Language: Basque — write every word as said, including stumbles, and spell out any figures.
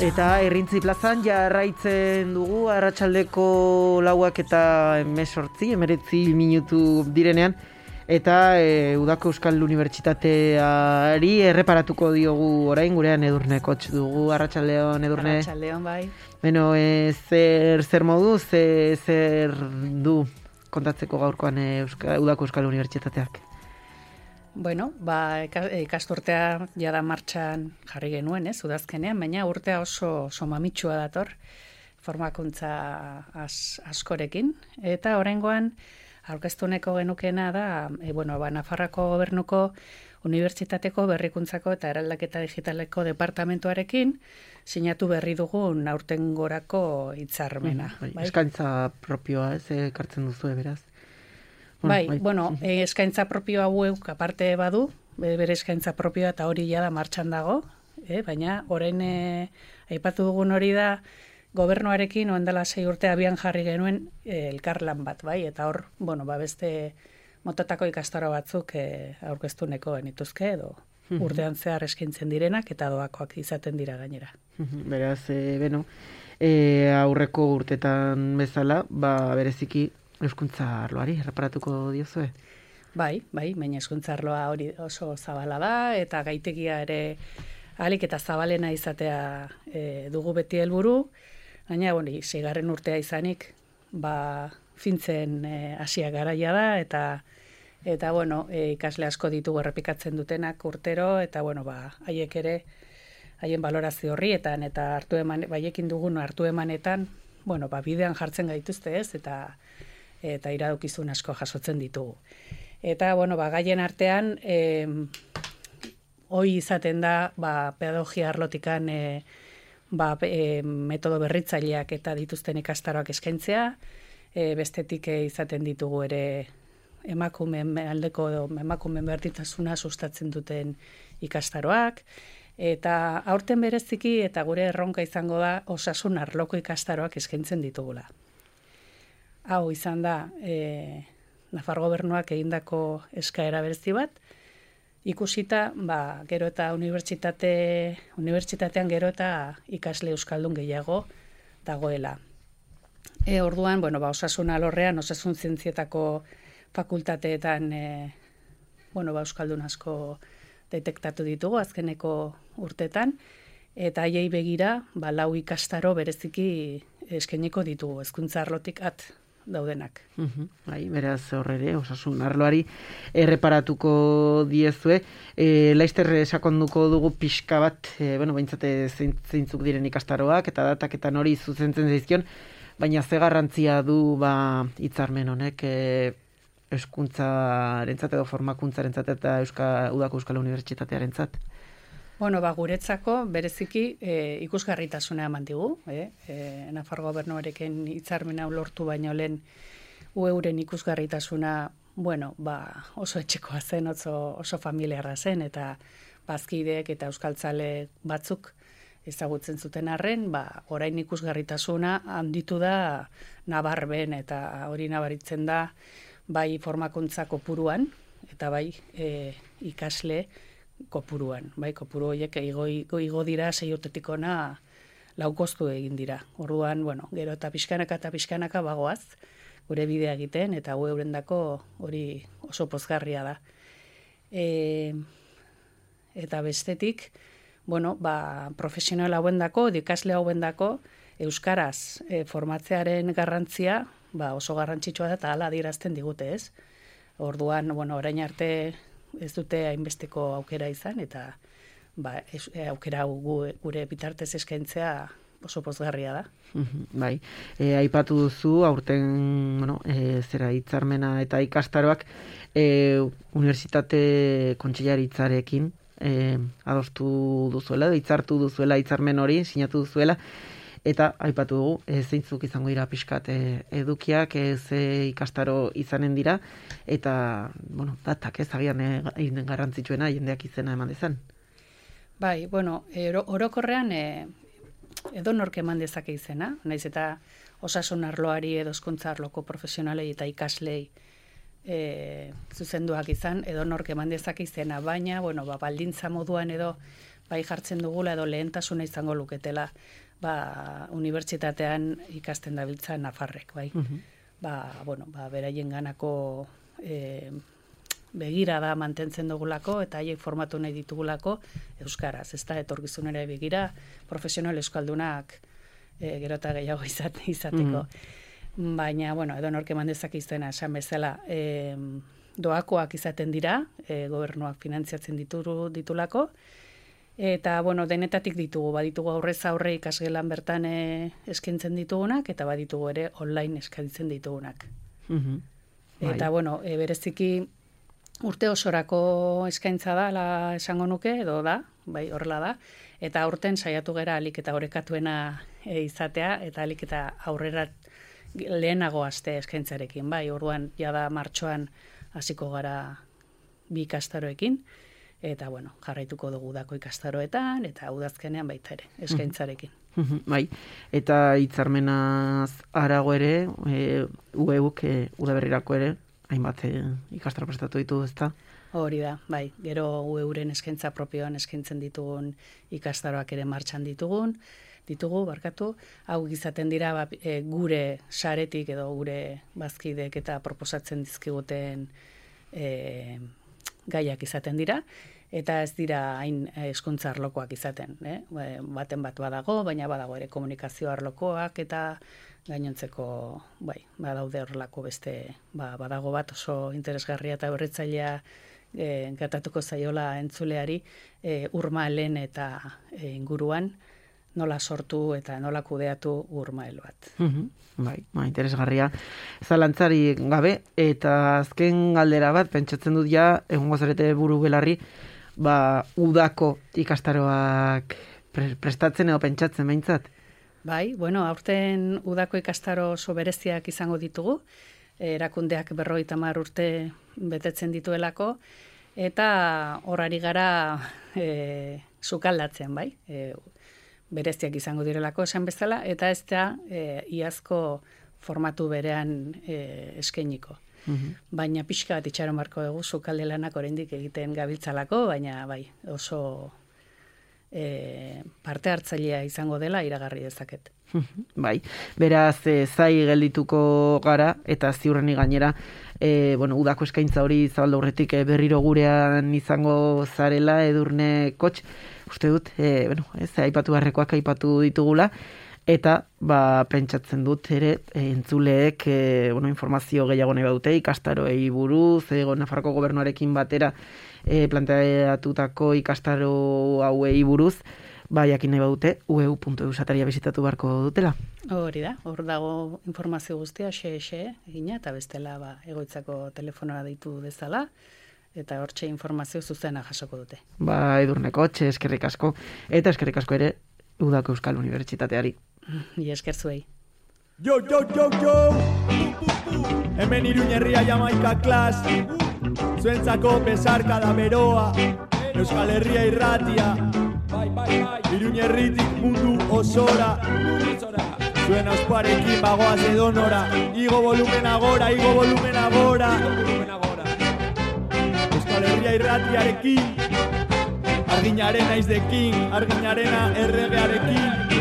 Eta Errintzi plazan jarraitzen dugu arratsaldeko lauak eta emesortzi, emeretzi minutu direnean, eta e, Udako Euskal Unibertsitateari erreparatuko diogu orain, gurean Edurne Kotx dugu. Arratsaldeon, Edurne. Arratsaldeon, bai. Beno, e, zer, zer modu, ze, zer du kontatzeko gaurkoan e, Euska, Udako Euskal Unibertsitateak? Bueno, ba, ikasturtea jada martxan jarri genuen, ez, udazkenean, baina urtea oso, oso mamitsua dator, formakuntza as, askorekin. Eta oraingoan aurkeztuneko genukena da, e, bueno, ba, Nafarroako Gobernuko Unibertsitateko Berrikuntzako eta Eraldaketa Digitaleko Departamentuarekin sinatu berri dugun aurtengorako hitzarmena. Mm, bai, bai? Eskaintza propioa, ez, ekartzen duzu, beraz. Bai, bai, bueno, e, eskaintza propio hauek aparte badu, bere eskaintza propioa eta hori jada martxan dago, e, baina orain e, aipatu dugun hori da gobernuarekin oendala sei urte abian jarri genuen e, elkarlan bat, bai, eta hor, bueno, ba beste motatako ikastaro batzuk e, aurkeztuneko genituzke edo urtean zehar eskaintzen direnak eta doakoak izaten dira gainera. Beraz, e, beno, e, aurreko urtetan bezala, ba bereziki Euskuntza arloari erreparatuko diozue? Bai, bai, baina hezkuntza arloa hori oso zabala da, eta gaitegia ere ahalik eta zabalena izatea e, dugu beti helburu, baina, bueno, seigarren urtea izanik, ba, fintzen hasia garaia da, eta, eta bueno, e, ikasle asko ditugu errepikatzen dutenak urtero, eta, bueno, ba, haiek ere, haien balorazio horrietan, eta hartu eman, baiekin dugun hartu emanetan, bueno, ba, bidean jartzen gaituzte ez, eta eta iradokizun asko jasotzen ditugu. Eta, bueno, ba, gaien artean, e, hoi izaten da, ba, pedagogia arlotikan e, ba, e, metodo berritzaileak eta dituzten ikastaroak eskaintzea, e, bestetik e, izaten ditugu ere emakumeen aldeko edo emakumeen berdintasuna sustatzen duten ikastaroak, eta aurten bereziki eta gure erronka izango da osasun arloko ikastaroak eskaintzen ditugula. Hau izan da, e, Nafar Gobernuak egindako eskaera berezi bat, ikusita, ba, gero eta unibertsitate, unibertsitatean gero eta ikasle euskaldun gehiago dagoela. E, orduan, bueno, ba, osasun alorrean, osasun zientzietako fakultateetan, e, bueno, ba, euskaldun asko detektatu ditugu azkeneko urtetan, eta haiei begira, ba, lau ikastaro bereziki eskainiko ditugu, hezkuntza arlotik at daudenak. Uhum, bai, beraz horrere, osasun arloari erreparatuko diezue. E, Laizter sakonduko dugu pixka bat, e, bueno, baintzate zeintzuk diren ikastaroak, eta dataketan hori zuzentzen zaizkion, baina ze garrantzia du ba hitzarmen honek e, hezkuntzarentzat edo formakuntzarentzat eta Euska, Udako Euskal Unibertsitatearentzat? Bueno, ba, guretzako bereziki e, ikusgarritasuna eman digu, eh? E, Nafar Gobernuarekin hitzarmen hau lortu baino lehen euren ikusgarritasuna, bueno, ba, oso etxekoa zen, oso, oso familiarra zen, eta bazkideek eta euskaltzale batzuk ezagutzen zuten arren, ba, orain ikusgarritasuna handitu da nabarben, eta hori nabaritzen da bai formakuntza kopuruan, eta bai e, ikasle kopuruan, bai, kopuru horiek igo, igo, igo dira sei urtetik ona laukostu egin dira. Orduan, bueno, gero eta pixkanaka eta pixkanaka bagoaz, gure bidea egiten, eta gu eurendako hori oso pozgarria da. E, eta bestetik, bueno, ba, profesional hauendako, ikasle hauendako, euskaraz e, formatzearen garrantzia, ba, oso garrantzitsua da, eta hala adierazten digute, ez? Orduan, bueno, orain arte ez dute hainbesteko aukera izan, eta ba, ez, aukera gu, gure bitartez eskaintzea oso pozgarria da. Uhum, bai, e, aipatu duzu, aurten, bueno, e, zera hitzarmena eta ikastaroak e, unibertsitate kontseilaritzarekin e, adostu duzuela, hitzartu duzuela hitzarmen hori, sinatu duzuela, eta aipatu dugu, e, zeintzuk izango dira pixkat e, edukiak, e, ze ikastaro izanen dira, eta, bueno, datak ez agian e, garrantzitsuena jendeak izena eman dezan. Bai, bueno, oro, orokorrean e, edo nork eman dezake izena, naiz eta osasun arloari edo hezkuntza arloko profesionalei eta ikaslei e, zuzenduak izan, edo nork eman dezake izena, baina, bueno, ba, baldintza moduan edo bai jartzen dugula edo lehentasuna izango luketela ba, unibertsitatean ikasten dabiltza nafarrek, bai. Uh-huh. Ba, bueno, ba, beraien ganako e, begira da mantentzen dugulako eta haiek formatu nahi ditugulako euskaraz, ez da, etorkizunera begira, profesional euskaldunak e, gero eta gehiago izate, izateko. Mm. Baina, bueno, edo norke mandezak izena esan bezala, e, doakoak izaten dira, e, gobernuak finantziatzen dituru, ditulako, eta, bueno, denetatik ditugu, baditugu aurrez aurre ikasgelan bertan e, eskaintzen ditugunak, eta baditugu ere online eskaintzen ditugunak. Mm-hmm. Eta, bai. Bueno, e, bereziki urte osorako eskaintza da, la esango nuke, edo da, bai, horrela da, eta aurten saiatu gera alik eta orekatuena e, izatea, eta alik eta aurrera lehenago aste eskaintzarekin, bai, orduan jada martxoan hasiko gara bi ikastaroekin, eta, bueno, jarraituko dugu dako ikastaroetan, eta udazkenean baita ere, eskaintzarekin. Bai, eta hitzarmenaz arago ere, e, U E U-k e, udaberrirako ere, hainbat e, ikastaro prestatu ditu, ezta? Hori da, bai, gero U E U-ren eskaintza propioan eskaintzen ditugun ikastaroak ere martxan ditugun, ditugu, barkatu, hau izaten dira ba, e, gure saretik edo gure bazkidek eta proposatzen dizkiguten e, gaiak izaten dira, eta ez dira hain hezkuntza arlokoak izaten, eh? Baten bat badago, baina badago ere komunikazio arlokoak eta gainontzeko, bai, badaude horrelako beste, ba, badago bat oso interesgarria eta berritzailea e, gatatuko zaiola entzuleari e, urmalen eta e, inguruan, nola sortu eta nola kudeatu urmael bat. Uh-huh. Bai, ba, interesgarria. Zalantzari gabe, eta azken galdera bat, pentsatzen dut ja, egongo zarete buru belarri, ba, udako ikastaroak pre- prestatzen edo pentsatzen behintzat? Bai, bueno, aurten udako ikastaro oso bereziak izango ditugu, erakundeak berrogeita hamar urte betetzen dituelako, eta horari gara e, sukaldatzen, bai, e, bereziak izango direlako esan bezala, eta ez da e, iazko formatu berean e, eskainiko. Uhum. Baina pixka bat itxaron barko dugu sukalde lanak oraindik egiten gabiltzalako, baina bai, oso e, parte hartzailea izango dela iragarri dezaket. Bai, beraz e, zai geldituko gara eta ziurrenik gainera e, bueno, udako eskaintza hori zabaldu aurretik e, berriro gurean izango zarela Edurne Kotx, uste dut, e, bueno, ez, aipatu beharrekoak aipatu ditugula, eta ba, pentsatzen dut ere e, entzuleek e, bueno, informazio gehiago nahi badute ikastaroei buruz, e, Nafarroko gobernuarekin batera e, planteatutako ikastaro hauei buruz, ba, jakin nahi badute, u e u puntu e u sataria bizitatu beharko dutela. Hori da, hor dago informazio guztia, xe, xe, egina, eta bestela ba, egoitzako telefonora deitu dezala, eta hortxe informazio zuzena jasoko dute. Ba, Edurne Kotx, eskerrik asko, eta eskerrik asko ere, Udako Euskal Unibertsitateari. I esker zuei. Yo, yo, yo, yo! Hemen Iruñerria Jamaika klas, zuentzako besarka da beroa, Euskal Herria irratia, bai, bai, bai. Iruñerritik mundu osora, zuen ausparekin bagoaz edonora, igo volumen agora, igo volumen agora, Euskal Herria irratiarekin, arginaren aizdekin, arginarena erregearekin,